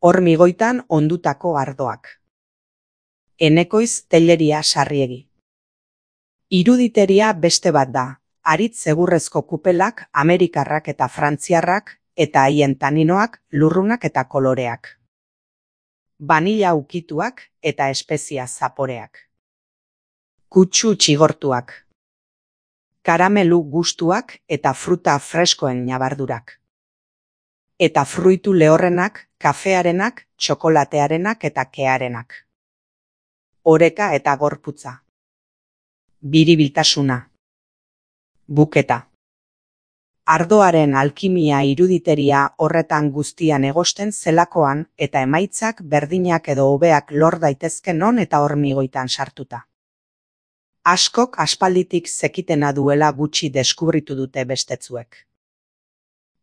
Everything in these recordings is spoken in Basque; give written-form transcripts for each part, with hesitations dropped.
Hormigoitan ondutako ardoak. Enekoiz Telleria Sarriegi. Iruditeria beste bat da, haritz egurrezko kupelak, amerikarrak eta frantziarrak, eta haien taninoak, lurrunak eta koloreak. Banila ukituak eta espezia zaporeak. Kutsu txigortuak. Karamelu gustuak eta fruta freskoen ñabardurak. Eta fruitu lehorrenak, kafearenak, txokolatearenak eta kearenak. Oreka eta gorputza. Biribiltasuna. Buketa. Ardoaren alkimia iruditeria horretan guztian egosten zelakoan eta emaitzak berdinak edo hobeak lor daitezke non eta hormigoitan sartuta. Askok aspalditik zekitena duela gutxi deskubritu dute bestetzuek.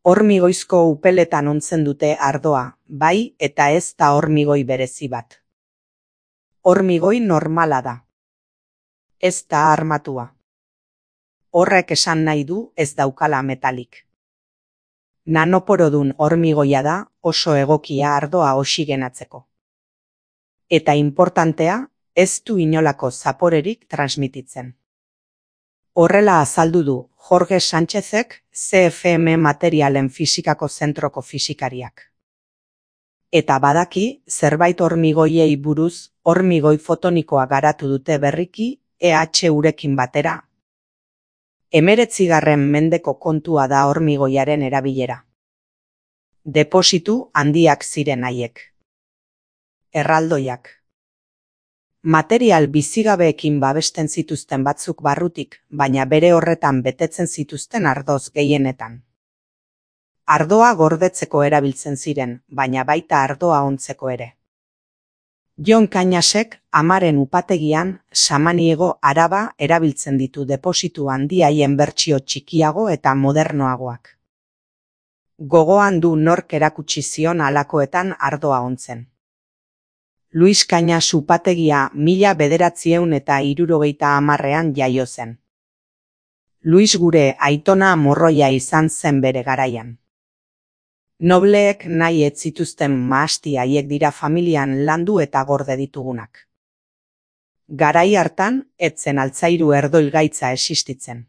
Hormigoizko upeletan ontzen dute ardoa, bai eta ez da hormigoi berezi bat. Hormigoi normala da. Ez da armatua. Horrek esan nahi du ez daukala metalik. Nanoporodun hormigoia da oso egokia ardoa oxigenatzeko. Eta inportantea, ez du inolako zaporerik transmititzen. Horrela azaldu du Jorge Sánchezek CFM Materialen Fisikako Zentroko fisikariak. Eta badaki, zerbait hormigoiei buruz, hormigoi fotonikoa garatu dute berriki, EH urekin batera. 19. mendeko kontua da hormigoiaren erabilera. Depositu handiak ziren haiek. Erraldoiak. Material bizigabeekin babesten zituzten batzuk barrutik, baina bere horretan betetzen zituzten ardoz gehienetan. Ardoa gordetzeko erabiltzen ziren, baina baita ardoa ontzeko ere. Jon Cañasek amaren upategian Samaniego Araba erabiltzen ditu depositu handiaien bertsio txikiago eta modernoagoak. Gogoan du nork erakutsi zion halakoetan ardoa ontzen. Luis Cañas upategia 1970ean jaio zen. Luis gure aitona morroia izan zen bere garaian. Nobleek nahi ez zituzten mahasti haiek dira familian landu eta gorde ditugunak. Garai hartan, etzen altzairu erdoilgaitza existitzen.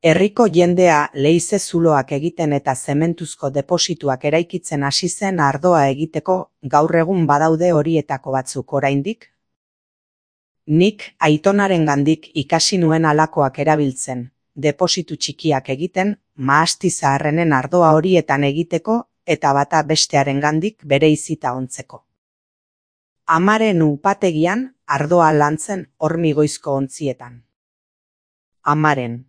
Herriko jendea leize zuloak egiten eta zementuzko deposituak eraikitzen hasi zen ardoa egiteko, gaur egun badaude horietako batzuk oraindik. Nik aitonarengandik ikasi nuen halakoak erabiltzen, depositu txikiak egiten, mahasti zaharrenen ardoa horietan egiteko eta bata bestearengandik bereizita ontzeko. Amaren upategian ardoa lantzen hormigoizko ontzietan. Amaren.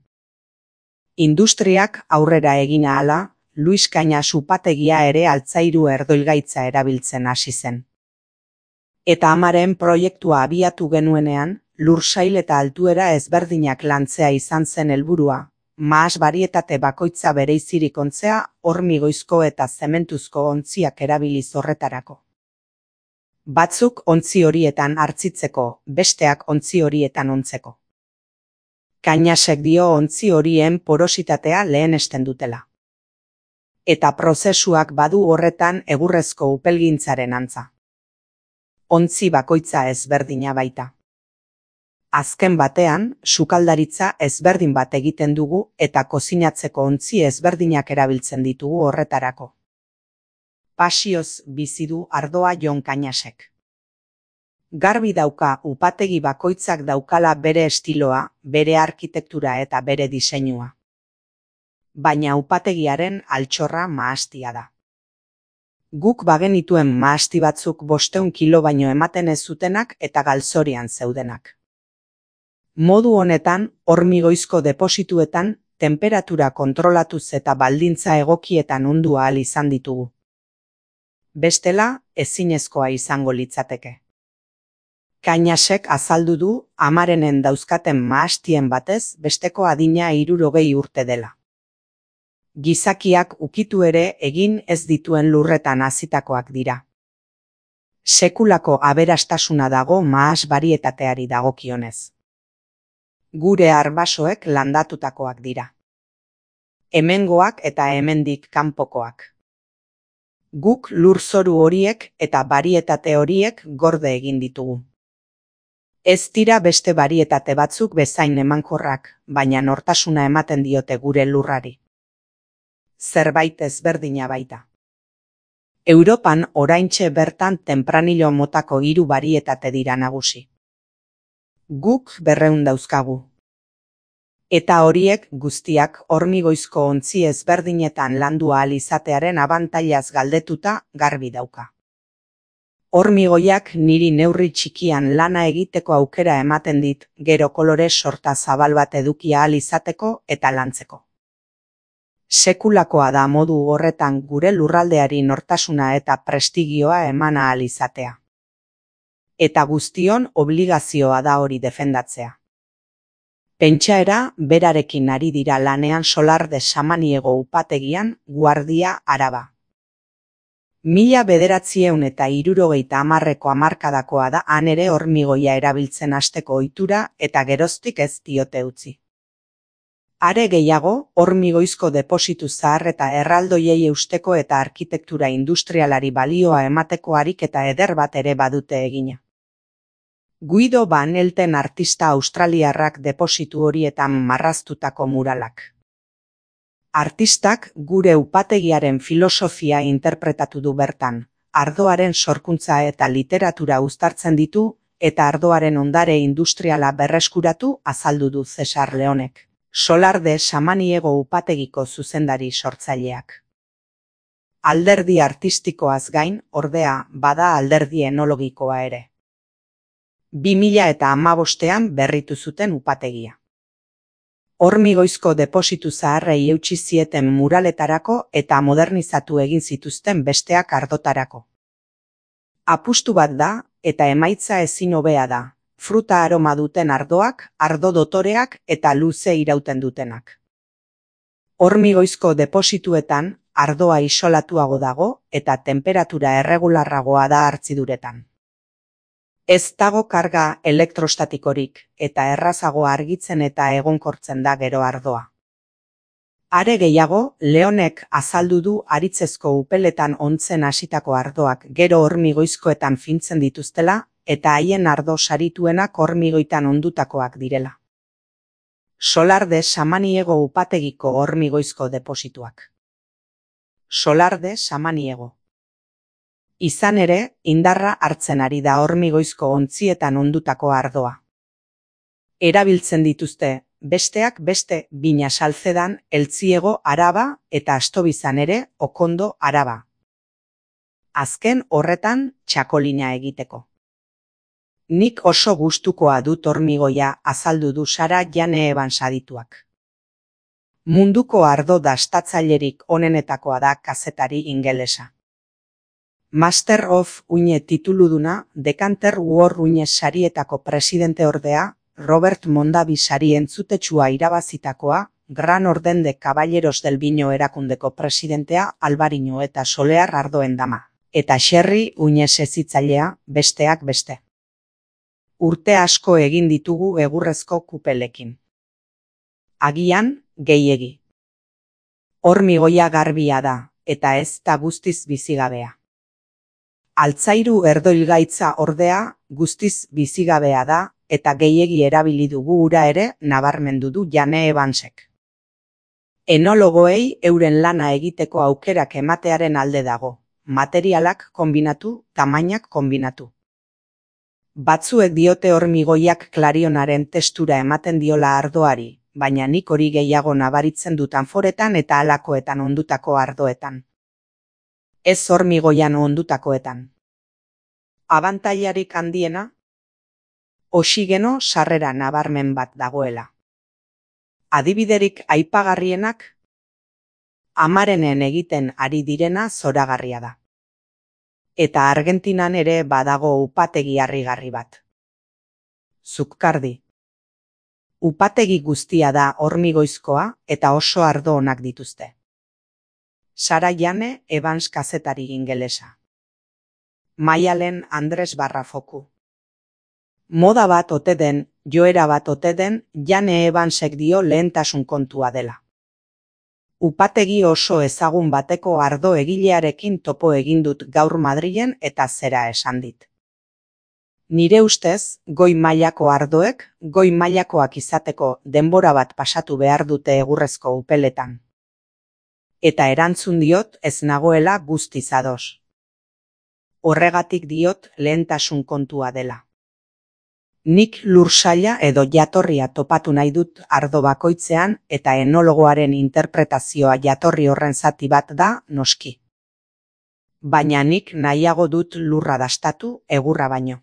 Industriak aurrera egin ahala, Luis Cañas upategia ere altzairu erdoilgaitza erabiltzen hasi zen. Eta amaren proiektua abiatu genuenean, lursail eta altuera ezberdinak lantzea izan zen helburua, mahas barietate bakoitza bereizirik ontzea hormigoizko eta zementuzko ontziak erabiliz horretarako. Batzuk ontzi horietan hartzitzeko, besteak ontzi horietan ontzeko. Cañasek dio ontzi horien porositatea lehenesten dutela. Eta prozesuak badu horretan egurrezko upelgintzaren antza. Ontzi bakoitza ezberdina baita. Azken batean, sukaldaritza ezberdin bat egiten dugu eta kozinatzeko ontzi ezberdinak erabiltzen ditugu horretarako. Pasioz bizi du ardoa Jon Cañasek. Garbi dauka upategi bakoitzak daukala bere estiloa, bere arkitektura eta bere diseinua. Baina upategiaren altxorra mahastia da. Guk bagenituen mahasti batzuk 500 kilo baino ematen ez zutenak eta galzorian zeudenak. Modu honetan, hormigoizko deposituetan, temperatura kontrolatuz eta baldintza egokietan ondu ahal izan ditugu. Bestela, ezinezkoa izango litzateke. Cañasek azaldu du amarenen dauzkaten mahastien batez besteko adina 60 urte dela. Gizakiak ukitu ere egin ez dituen lurretan hazitakoak dira. Sekulako aberastasuna dago mahas barietateari dagokionez. Gure arbasoek landatutakoak dira. Hemengoak eta hemendik kanpokoak. Guk lurzoru horiek eta barietate horiek gorde egin ditugu. Ez dira beste barietate batzuk bezain emankorrak, baina nortasuna ematen diote gure lurrari. Zerbait ezberdina baita. Europan oraintxe bertan tempranillo motako 3 barietate dira nagusi. Guk 200 dauzkagu. Eta horiek guztiak hormigoizko ontzi ezberdinetan landu ahal izatearen abantailaz galdetuta garbi dauka. Hormigoiak niri neurri txikian lana egiteko aukera ematen dit, gero kolore sorta zabal bat eduki ahal izateko eta lantzeko. Sekulakoa da modu horretan gure lurraldeari nortasuna eta prestigioa eman ahal izatea. Eta guztion obligazioa da hori defendatzea. Pentsaera berarekin ari dira lanean Solarde Samaniego upategian, Guardia, Araba. 1970ko hamarkadakoa da han ere hormigoia erabiltzen hasteko ohitura eta geroztik ez diote utzi. Are gehiago, hormigoizko depositu zahar eta erraldoiei eusteko eta arkitektura industrialari balioa emateko ariketa eder bat ere badute egina. Guido Van Elten artista australiarrak depositu horietan marraztutako muralak. Artistak gure upategiaren filosofia interpretatu du bertan, ardoaren sorkuntza eta literatura uztartzen ditu eta ardoaren ondare industriala berreskuratu azaldu du Cesar Leonek, Solarde Samaniego upategiko zuzendari sortzaileak. Alderdi artistikoaz gain, ordea, bada alderdi enologikoa ere. 2015ean berritu zuten upategia. Hormigoizko depositu zaharrei eutsi zieten muraletarako eta modernizatu egin zituzten besteak ardotarako. Apustu bat da eta emaitza ezin hobea da, fruta aroma duten ardoak, ardo dotoreak eta luze irauten dutenak. Hormigoizko deposituetan ardoa isolatuago dago eta temperatura erregularragoa da hartziduretan. Ez dago karga elektrostatikorik eta errazago argitzen eta egonkortzen da gero ardoa. Are gehiago, Leonek azaldu du haritzezko upeletan ontzen hasitako ardoak gero hormigoizkoetan fintzen dituztela eta haien ardo sarituenak hormigoitan ondutakoak direla. Solarde Samaniego upategiko hormigoizko deposituak. Solarde Samaniego. Izan ere, indarra hartzen ari da hormigoizko ontzietan ondutako ardoa. Erabiltzen dituzte, besteak beste, Bina Salzedan, Eltziego, Araba eta Astobizan ere, Okondo, Araba. Azken horretan txakolina egiteko. Nik oso gustukoa dut hormigoia azaldu du Sara Jane Evans adituak. Munduko ardo dastatzailerik onenetakoa da kazetari ingelesa. Master of Uine tituluduna, Decanter War Uine sarietako presidente ordea, Robert Mondavi sari entzutetsua irabazitakoa, Gran Orden de Caballeros del Vino erakundeko presidentea Albarino eta Solear ardoen dama, eta Xerri Uine sezitzailea, besteak beste. Urte asko egin ditugu egurrezko kupelekin. Agian, gehiegi. Hormigoia garbia da, eta ez da guztiz bizigabea. Altzairu erdoilgaitza ordea guztiz bizigabea da eta gehiegi erabili dugu ura ere nabarmendu du Jane Evansek. Enologoei euren lana egiteko aukerak ematearen alde dago, materialak konbinatu, tamainak konbinatu. Batzuek diote hormigoiak klarionaren testura ematen diola ardoari, baina nik hori gehiago nabaritzen dut anforetan eta halakoetan ondutako ardoetan. Ez hormigoian ondutakoetan. Abantailarik handiena, oxigeno sarrera nabarmen bat dagoela. Adibiderik aipagarrienak, amarenen egiten ari direna zoragarria da. Eta Argentinan ere badago upategi harrigarri bat. Zuccardi. Upategi guztia da hormigoizkoa eta oso ardo onak dituzte. Sara Jane Evans kazetari ingelesa. Maialen Andres Barrafoku. Moda bat ote den, joera bat ote den, Jane Evansek dio lehentasun kontua dela. Upategi oso ezagun bateko ardo egilearekin topo egin dut gaur Madrilen eta zera esan dit. Nire ustez, goi mailako ardoek, goi mailakoak izateko denbora bat pasatu behar dute egurrezko upeletan. Eta erantzun diot ez nagoela guztiz ados. Horregatik diot lehentasun kontua dela. Nik lursaila edo jatorria topatu nahi dut ardo bakoitzean eta enologoaren interpretazioa jatorri horren zati bat da noski. Baina nik nahiago dut lurra dastatu egurra baino.